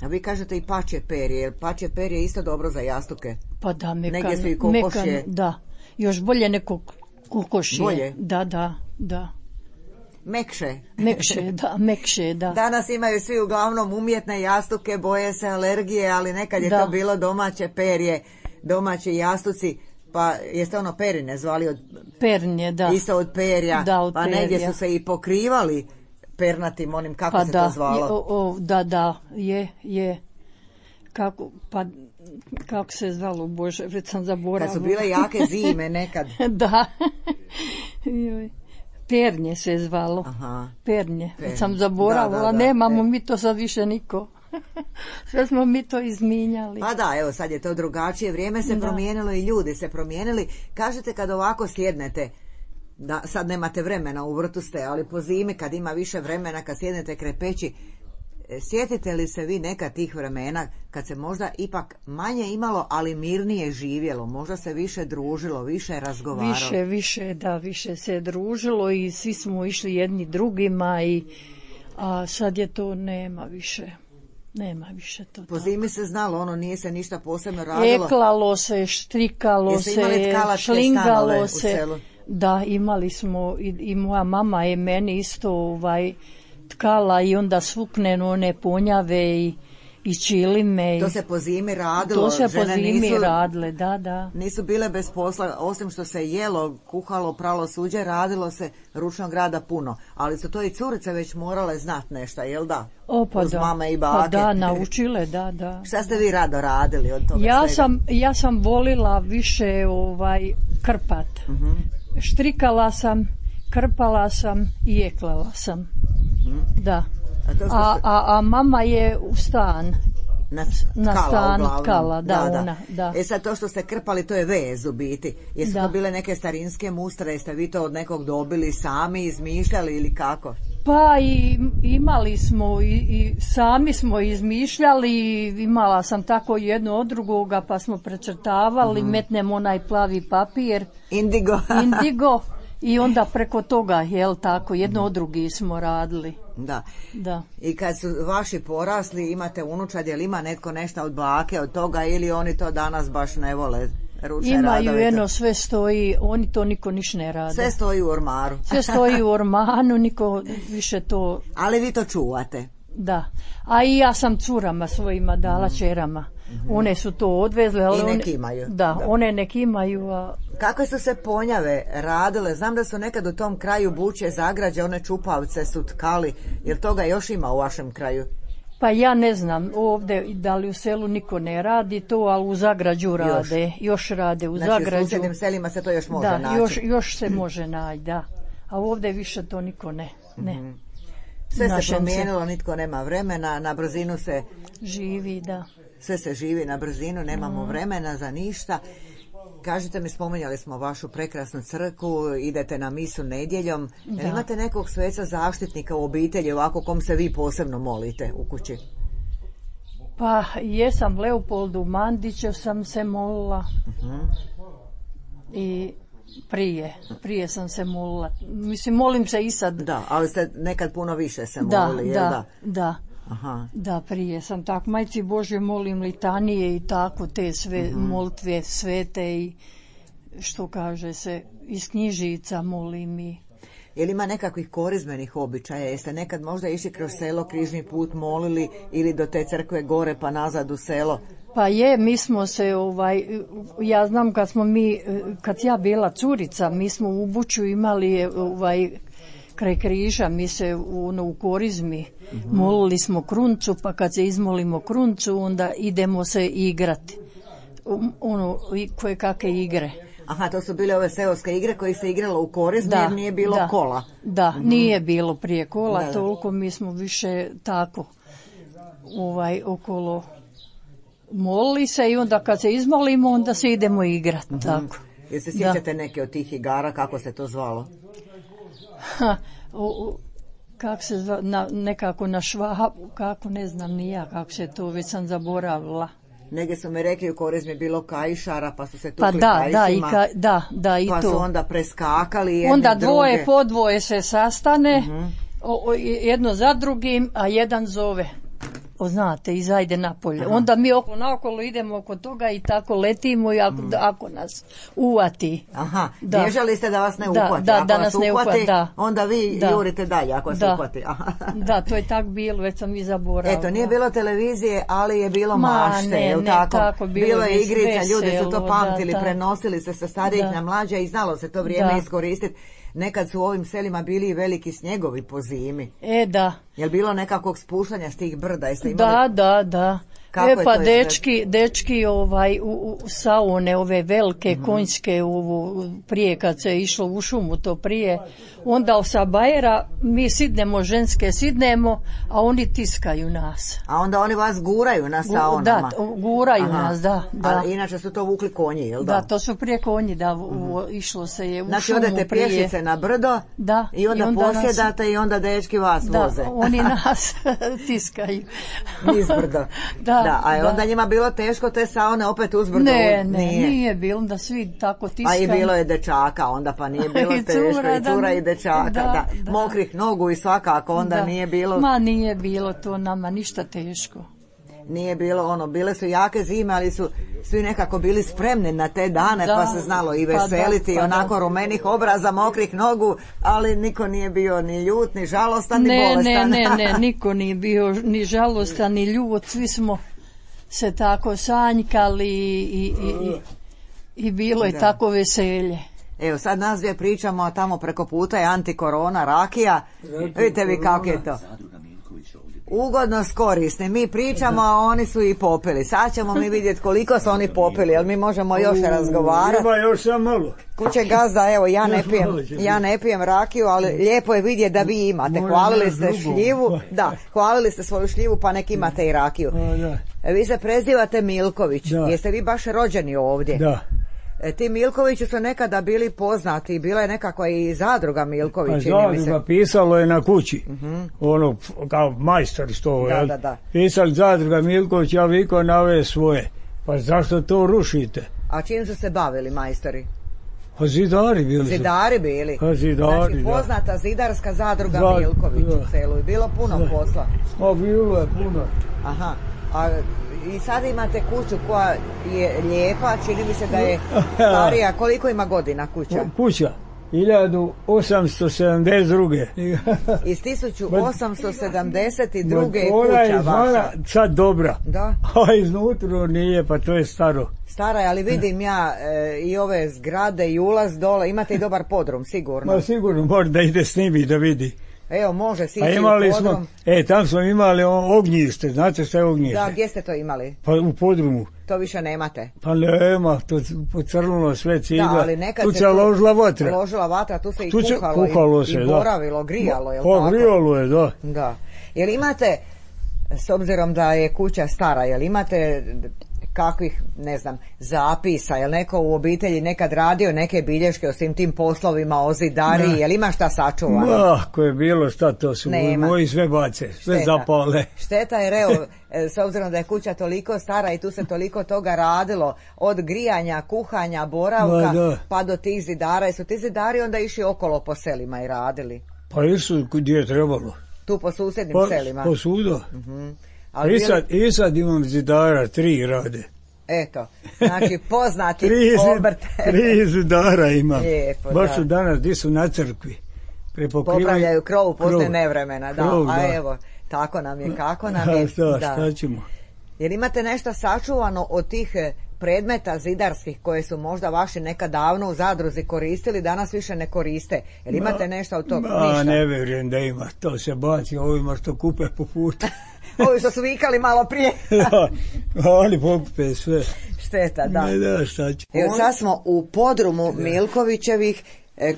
A vi kažete i pačje perje, jer pačje perje je isto dobro za jastuke. Pa da, mekan, negdje su i kokošje. Mekan, da, još bolje neko kokošje. Bolje? Da, da, da. Mekše. Mekše, da, mekše, da. Danas imaju svi uglavnom umjetne jastuke, boje se alergije, ali nekad je da. to bilo domaće perje, domaći jastuci, pa jeste ono perine zvali od... Pernje, da. Isto od perja, da, od pa perja. negdje su se i pokrivali pernatim onim, kako pa se da, to zvalo? Je, o, o, da, da, je, je. Kako, pa... Kako se zvalo, Bože, već sam zaboravila. Kad su bile jake zime nekad. da. Pernje se zvalo. Aha. Pernje. Već sam zaboravila, da, da, da. Nemamo mi to sad više niko. Sve smo mi to izminjali. Pa da, evo sad je to drugačije. Vrijeme se da. promijenilo i ljudi se promijenili. Kažete kad ovako sjednete, da sad nemate vremena, u vrtu ste, ali po zimi kad ima više vremena, kad sjednete kraj peći, sjetite li se vi neka tih vremena kad se možda ipak manje imalo, ali mirnije živjelo, možda se više družilo, više razgovaralo? Više, više, da, više se družilo i svi smo išli jedni drugima i a sad je to nema više. Nema više to. Po zimi se znalo, ono nije se ništa posebno radilo. Eklalo se, štrikalo se, šlingalo se. U selu? Da, imali smo i, i moja mama je meni isto ovaj tkala i onda svukneno one ponjave i, i čilime. To se po zimi radilo. To se po žene zimi nisu, radile, da, da. Nisu bile bez posla, osim što se jelo, kuhalo, pralo suđe, radilo se ručnog rada puno. Ali su to i curice već morale znat nešto, jel da? O, pa uz da. mame i bake. Pa da, naučile, da, da. Šta ste vi rado radili od toga Ja svega? sam, ja sam volila više ovaj, krpat. Uh-huh. Štrikala sam, krpala sam i jeklala sam. Uh-huh. Da. A, to što A, ste- a, a mama je u stan. Na, Na tkala, stan uglavnom. tkala, da, ona, da. E sad to što ste krpali, to je vez u biti. Jesu Da. to bile neke starinske mustre, jeste vi to od nekog dobili sami, izmišljali ili kako? Pa i imali smo i, i sami smo izmišljali, i imala sam tako jedno od drugoga, pa smo precrtavali, Mhm. metnemo onaj plavi papir, Indigo. indigo, i onda preko toga, jel tako, jedno od drugi smo radili. Da. Da. I kad su vaši porasli, imate unučad, jel ima netko nešto od bake od toga ili oni to danas baš ne vole? Ručne Imaju radove, jedno, sve stoji, oni to niko niš ne rade. sve stoji u ormaru. Sve stoji u ormanu, niko više to, Ali vi to čuvate. da. A i ja sam curama svojima dala, čerama. One su to odvezle. Ali I nek one, imaju. Da, Da. one nek imaju, a Kakve su se ponjave radile? Znam da su nekad u tom kraju Buče, Zagrađe, one čupavce su tkali. Jel toga još ima u vašem kraju? pa ja ne znam, ovdje da li u selu niko ne radi to, ali u Zagrađu rade, još, rade u Znači u Zagrađu. susjednim selima se to još može Da, naći. još, još se može naći, da. A ovdje više to niko ne, ne. Sve se našem promijenilo, nitko nema vremena, na brzinu se, Živi, da. sve se živi na brzinu, nemamo vremena za ništa. Kažite mi, spominjali smo vašu prekrasnu crkvu, idete na misu nedjeljom. Da. Jel imate nekog sveca zaštitnika u obitelji, ovako kom se vi posebno molite u kući? Pa jesam Leopoldu Mandiću sam se molila. I prije, prije sam se molila. Mislim, molim se i sad. Da, ali ste nekad puno više se Da, molili, jel da, da? da. Aha. Da, prije sam tako. Majci Božje molim litanije i tako, te sve molitve svete i što kaže se, iz knjižica molim i... Jel ima nekakvih korizmenih običaja? Jeste nekad možda išli kroz selo, križni put molili ili do te crkve gore pa nazad u selo? Pa je, mi smo se, ovaj, ja znam kad smo mi, kad ja bila curica, mi smo u Buču imali, ovaj, kraj križa, mi se u, ono, u korizmi molili smo kruncu, pa kad se izmolimo kruncu, onda idemo se igrati. Um, Ono, i koje kakve igre. Aha, to su bile ove seoske igre koje se igralo u korizmi Da, jer nije bilo da, kola. Da, nije bilo prije kola, Da, da. toliko mi smo više tako ovaj, okolo molili se i onda kad se izmolimo, onda se idemo igrati, tako. Jel se Da. sjećate neke od tih igara, kako se to zvalo? Ha, o, o, kak se zva, na, nekako na švabu, kako ne znam ni ja kako se to, već sam zaboravila. Negdje su mi rekli u korizmi je bilo kajšara, pa su se tukli Pa da, da, i kajšima, ka, da, da, i pa su to. onda preskakali jedni Onda druge. dvoje po dvoje se sastane, o, o, jedno za drugim, a jedan zove. O, znate, izajde napolje. Onda mi oko naokolo idemo oko toga i tako letimo i ako, ako nas uvati. Aha, Da. bježali ste da vas ne Da, uhvati. da, Ako da vas nas ne uhvati, uhvati, da. onda vi Da. jurite dalje ako se Da. uhvati. Aha. Da, to je tak bilo, već sam i zaboravila. Eto, nije bilo televizije, ali je bilo Ma, mašte, ne, jel ne, tako? tako, bilo bilo je je igrica, veselo, ljudi su to pamtili, da, da. prenosili se sa starijih Da. na mlađe i znalo se to vrijeme Da. iskoristiti. Nekad su u ovim selima bili i veliki snjegovi po zimi. E, da. Jel bilo nekakvog spuštanja s tih brda? Jeste imali... Da, da, da. Kako E je pa to dečki, dečki ovaj, u, u saune, ove velike konjske, ovo, prije kad se išlo u šumu to prije, onda sa bajera mi sidnemo, ženske sidnemo, a oni tiskaju nas. A onda oni vas guraju na Gu- saunama? Da, to- guraju Aha. nas, da. da. A inače su to vukli konji, jel da? Da, to su prije konji, da, u, u- išlo se je u Znači šumu odete prije. pješice na brdo Da, i onda, i onda nas- posjedate i onda dečki vas Da, voze. oni nas tiskaju. Nizbrdo. Da, da, a je da. onda njima bilo teško te saune opet uzbrdo? Ne, ne, nije, bilo, da svi tako A tiskaju. i bilo je dečaka, onda pa nije bilo I teško, cura, i cura da, i dečaka, da, da, da. mokrih nogu i svakako, onda Da. nije bilo... Ma nije bilo to nama ništa teško. nije bilo ono, bile su jake zime, ali su svi nekako bili spremni na te dane, da, pa se znalo i veseliti, pa da, pa onako da. Rumenih obraza, mokrih nogu, ali niko nije bio ni ljut, ni žalostan, ni ne, bolestan. Ne, ne, ne, niko nije bio ni žalostan, ni ljut, svi smo se tako sanjkali i, i, i, i bilo je da. Tako veselje. Evo, sad nas dvije pričamo, a tamo preko puta je antikorona, rakija. Vidite vi kako je to. Ugodno skorisni. Mi pričamo, a oni su i popili. Sad ćemo mi vidjeti koliko su oni popili, jer mi možemo još razgovarati. Ima još sam malo. Kuće gazda, evo, ja ne pijem, ja ne pijem rakiju, ali lijepo je vidjeti da vi imate. Hvalili ste šljivu, da, hvalili ste svoju šljivu, pa nek imate i rakiju. Vi se prezivate Milković. Jeste vi baš rođeni ovdje? Da. E, ti Milkovići su nekada bili poznati, bila je nekakva i zadruga Milković. A zadruga pisalo je na kući, uh-huh. ono kao majstor što, da, da, da. pisali zadruga Milković, ja viko nave svoje, pa zašto to rušite? A čim su se bavili majstori? Pa zidari bili su. Zidari bili. Pa zidari, znači poznata da. Zidarska zadruga Zad, Milković da. u selu, bilo puno da. Posla. A bilo je puno. Aha, a i sad imate kuću koja je lijepa, čini mi se da je starija. Koliko ima godina kuća? Kuća? hiljadu osamsto sedamdeset druge. Iz tisuću osamsto sedamdeset druge je kuća vaša. Ona je sad dobra. Da. A iznutra nije, pa to je staro. Stara je, ali vidim ja e, i ove zgrade i ulaz dole. Imate i dobar podrum, sigurno. Ma sigurno, može da ide s njimi da vidi. Evo, može sići u podrum. Smo, e, tam smo imali ognjište, znate što je ognjište? Da, gdje ste to imali? Pa u podrumu. To više nemate? Pa nema, to pocrnulo sve cigla. Da, ali nekad tu se tu ložila vatra. Ložila vatra, tu se i tu kuhalo, kuhalo i, se, i boravilo, grijalo, je li pa, tako? grijalo je, da. Da. Jel imate, s obzirom da je kuća stara, jel imate kakvih, ne znam, zapisa, jel neko u obitelji nekad radio neke bilješke o svim tim poslovima, o zidariji, jel ima šta sačuvano? Ma, ako je bilo šta, to su Nema. moji sve bace, sve Šteta. zapale. Šteta je, evo, s obzirom da je kuća toliko stara i tu se toliko toga radilo, od grijanja, kuhanja, boravka, Ma, pa do tih zidara, su ti zidari onda išli okolo po selima i radili? Pa isu gdje je trebalo. Tu po susjednim pa, selima? Po suda. Uh-huh. I sad, i sad imam zidara, tri rade. Eto, znači poznati tri, obrt. tri zidara imam. Lijepo, baš da. su danas, gdje su na crkvi. Popravljaju krov poslije nevremena, da. Krov, A da. evo, tako nam je, kako nam je. Šta, da. šta ćemo? Jer imate nešto sačuvano od tih predmeta zidarskih koje su možda vaši nekad davno u zadruzi koristili, danas više ne koriste. Jer imate nešto od toga? Ma, ne vjerujem da ima. To se baci ovima što kupe po putu. Ovi što su vikali malo prije. Da, oni pokupe sve. Šteta, da. Ne, da, šta će. Evo, sad smo u podrumu Milkovićevih,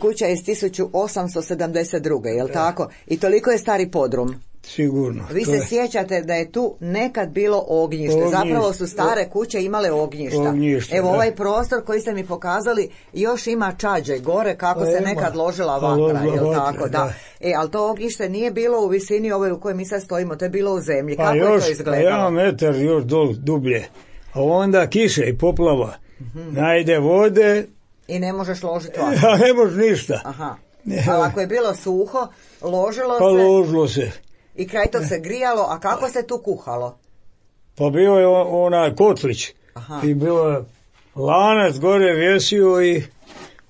kuća iz tisuću osamsto sedamdeset druge, jel tako? I toliko je stari podrum. Sigurno. Vi se je... sjećate da je tu nekad bilo ognjište. ognjište. Zapravo su stare kuće imale ognjišta. Ognjište, Evo da. Ovaj prostor koji ste mi pokazali još ima čađe gore kako pa se ima. nekad ložila pa vatra, ložila jel vatra, tako? Da. Da. E, ali to ognjište nije bilo u visini ove u kojoj mi sad stojimo, to je bilo u zemlji. Pa kako još, je to izgledalo? Pa jedan metar još dol dublje. A onda kiše i poplava. Mm-hmm. Najde vode. I ne možeš ložiti vatru. Ja, ne možeš ništa. Aha. Ali ako je bilo suho, ložilo pa se. Pa ložilo se. I kraj tog se grijalo, a kako se tu kuhalo? Pa bio je onaj kotlić. Aha. I bio je lanac gore vjesio i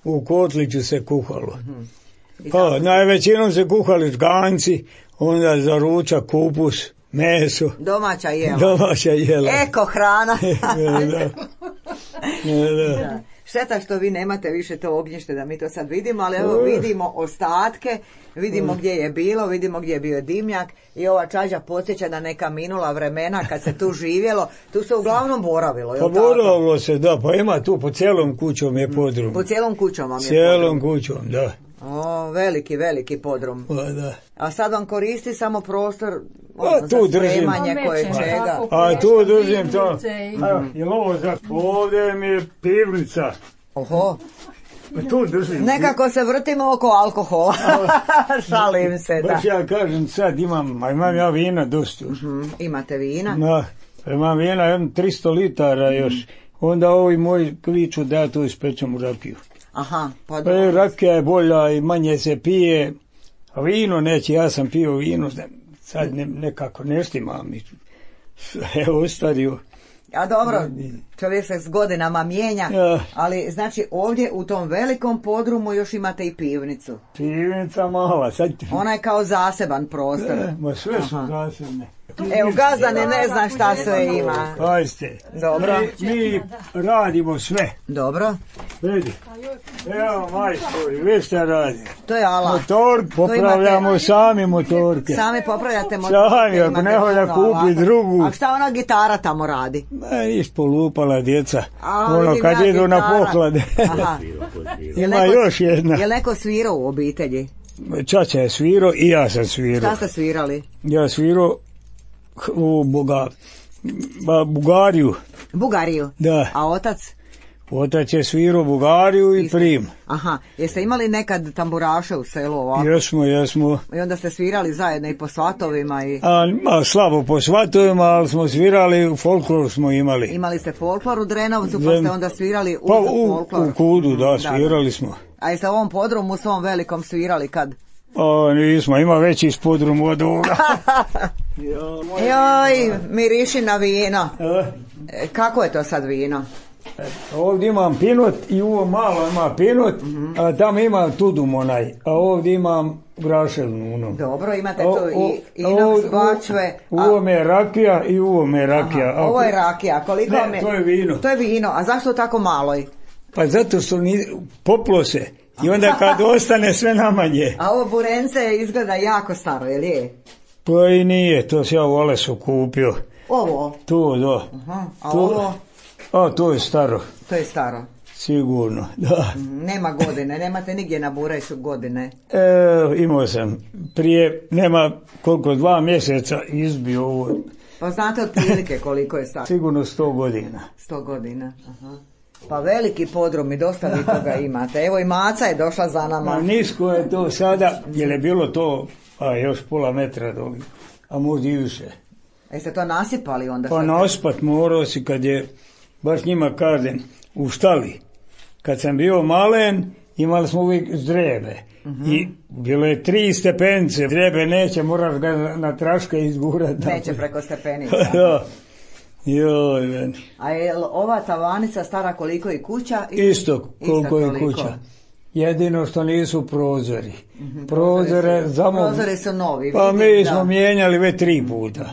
u kotliću se kuhalo. Mm-hmm. Pa najvećinom se kuhali žganci, onda za ručak kupus, meso. Domaća jela. Domaća jela. Eko hrana. ne, da. Ne, da. Da. Šteta što vi nemate više to ognjište da mi to sad vidimo, ali evo vidimo ostatke, vidimo gdje je bilo, vidimo gdje je bio dimnjak i ova čađa podsjeća na neka minula vremena kad se tu živjelo, tu se uglavnom boravilo. Pa boravilo se, da, pa ima tu po cijelom kućom je podrum. Po cijelom kućom vam je cijelom podrum. kućom, da. O, veliki, veliki podrum. Pa, da. A sad vam koristi samo prostor ono, za spremanje koje čega. A tu držim to. Evo, jel ovo za... Ovdje mi je pivnica. Oho. Pa tu držim. Nekako se vrtimo oko alkohola. Šalim se, da. Baš ja kažem sad imam, a imam ja vina dosta. Uh-huh. Imate vina? Da, imam vina, jedno tristo litara još. Onda ovi moji kliču da ja to ispečem u rakiju. Aha, pa dobro. E, rakija je bolja i manje se pije, a vino neće, ja sam pio vino, sad ne, nekako ne štima mi. sve ostario. A dobro, čovjek se s godinama mijenja, Ja. ali znači ovdje u tom velikom podrumu još imate i pivnicu. Pivnica mala, sad... Ona je kao zaseban prostor. E, ma sve su zasebne. Evo, gazdane ne zna šta sve ima. Pazite, Dobro. mi, mi radimo sve. Dobro, Vidi, evo majstori, vi šta radi? to je alat. Motor, popravljamo imate- sami motorke. Sami popravljate motor. Sami, ako ne hoda kupi drugu. A šta ona gitara tamo radi? Ma, iš polupala djeca, A, ono vidim kad ja idu na gitara. poklade. Aha. Jel Ima neko- još jedna. Jel neko svirao u obitelji? Čača je svirao i ja sam svirao. Šta ste svirali? Ja svirao u Boga, ba, Bugariju, Bugariju. da. A otac? Otac je svirao Bugariju i Isto. Prim. Aha. Jeste imali nekad tamburaše u selu ovako? Jesmo, jesmo. I onda ste svirali zajedno i po svatovima i... A, ma, slabo po svatovima, ali smo svirali, folklor smo imali. Imali ste folklor u Drenovcu, pa Zem- ste onda svirali uz Pa u, folklor. u Kudu, da, svirali smo. A jeste u ovom podrumu svom velikom svirali kad? A, nismo, ima veći spodrum od ovoga. Joj, miriši na vino. E, E, kako je to sad vino? Ovdje imam pinot i ovo malo ima pinot, a tamo imam tudum onaj, a ovdje imam graševnu ono. Dobro, imate O- tu o- i o- inox o- bačve. U a- ovome je rakija i u ovome je rakija. Aha, ovo je rakija, koliko Ne, vam je? to je vino. To je vino, a zašto tako maloj? Pa zato što ni, poplo se i onda kad ostane sve namanje. A ovo burence izgleda jako staro, jel je? Pa i nije, to se ja u Olesu kupio. Ovo, To, da. aha, a To- ovo, A, to je staro, to je staro. sigurno, da. Mm, Nema godine, nemate nigdje na bureću godine. E, imao sam prije, nema koliko, dva mjeseca izbio ovo, Pa znate otprilike koliko je staro? sigurno sto godina. Sto godina, aha. Pa veliki podrum i dosta vi toga imate. Evo i Maca je došla za A nama. nisko je to sada, jer je bilo to, a još pola metra do, a možda i više. Jeste to nasipali onda? Pa sad? naspat morao si kad je, baš njima kažem, u štali. Kad sam bio malen, imali smo uvijek zdrebe. I bilo je tri stepence, zdrebe neće, moraš ga na, na traške izgurati. Neće preko stepenica. Da. Joj, meni. A je li ova tavanica stara koliko i kuća? Isto koliko je toliko. kuća. Jedino što nisu prozori. Prozore, zamo... Prozori su novi. Pa vidim, mi da. smo mijenjali već tri puta.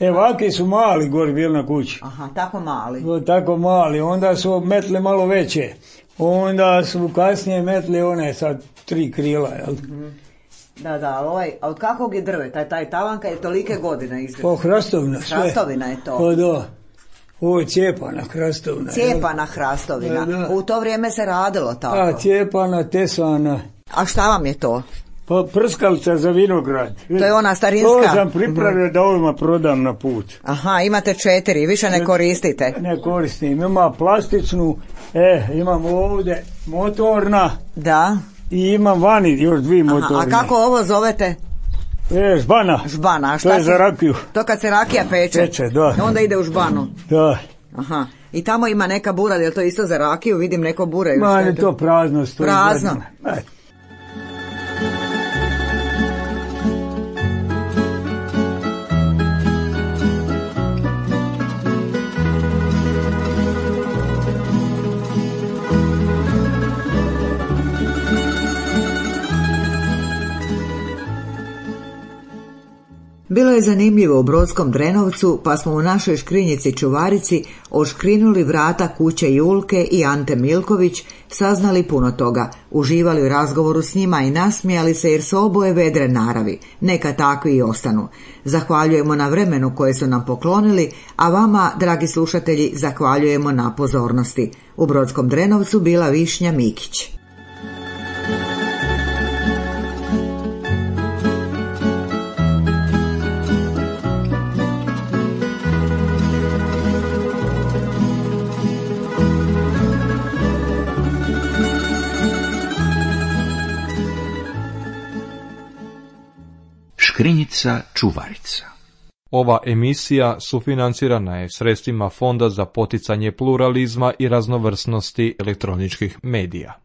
E, ovaki su mali gori bili na kući. Aha, tako mali. O, tako mali, onda su metli malo veće. Onda su kasnije metli one sad tri krila, jel? Da, da, ali ovaj, a od kakvog je drveta? Taj, taj tavanka je tolike godine izdržao. Pa hrastovna sve. Hrastovina je to. Pa da. Ovo je cijepana hrastovna. jel? Cijepana hrastovina. Da, da. U to vrijeme se radilo tako. A, cijepana, tesana. A šta vam je to? Pa prskalica za vinograd. To je ona starinska. To sam pripravio da ovima prodam na put. Aha, imate četiri, više ne koristite. Ne koristim, ima plastičnu, e, imam ovdje motorna Da. i imam vani još dvije Aha, motorne. a kako ovo zovete? E, žbana. Žbana. A To šta je se- za rakiju. To kad se rakija peče. Peče, da. Onda ide u žbanu. Da. Aha. I tamo ima neka bura, je li to isto za rakiju? Vidim neko bure. još Ma, što je to prazno stoji. Prazno. godinama. E, Bilo je zanimljivo u Brodskom Drenovcu, pa smo u našoj škrinjici čuvarici odškrinuli vrata kuće Julke i Ante Milković, saznali puno toga, uživali u razgovoru s njima i nasmijali se jer su oboje vedre naravi, neka takvi i ostanu. Zahvaljujemo na vremenu koje su nam poklonili, a vama, dragi slušatelji, zahvaljujemo na pozornosti. U Brodskom Drenovcu bila Višnja Mikić. Škrinjica čuvarica. Ova emisija sufinancirana je sredstvima Fonda za poticanje pluralizma i raznovrsnosti elektroničkih medija.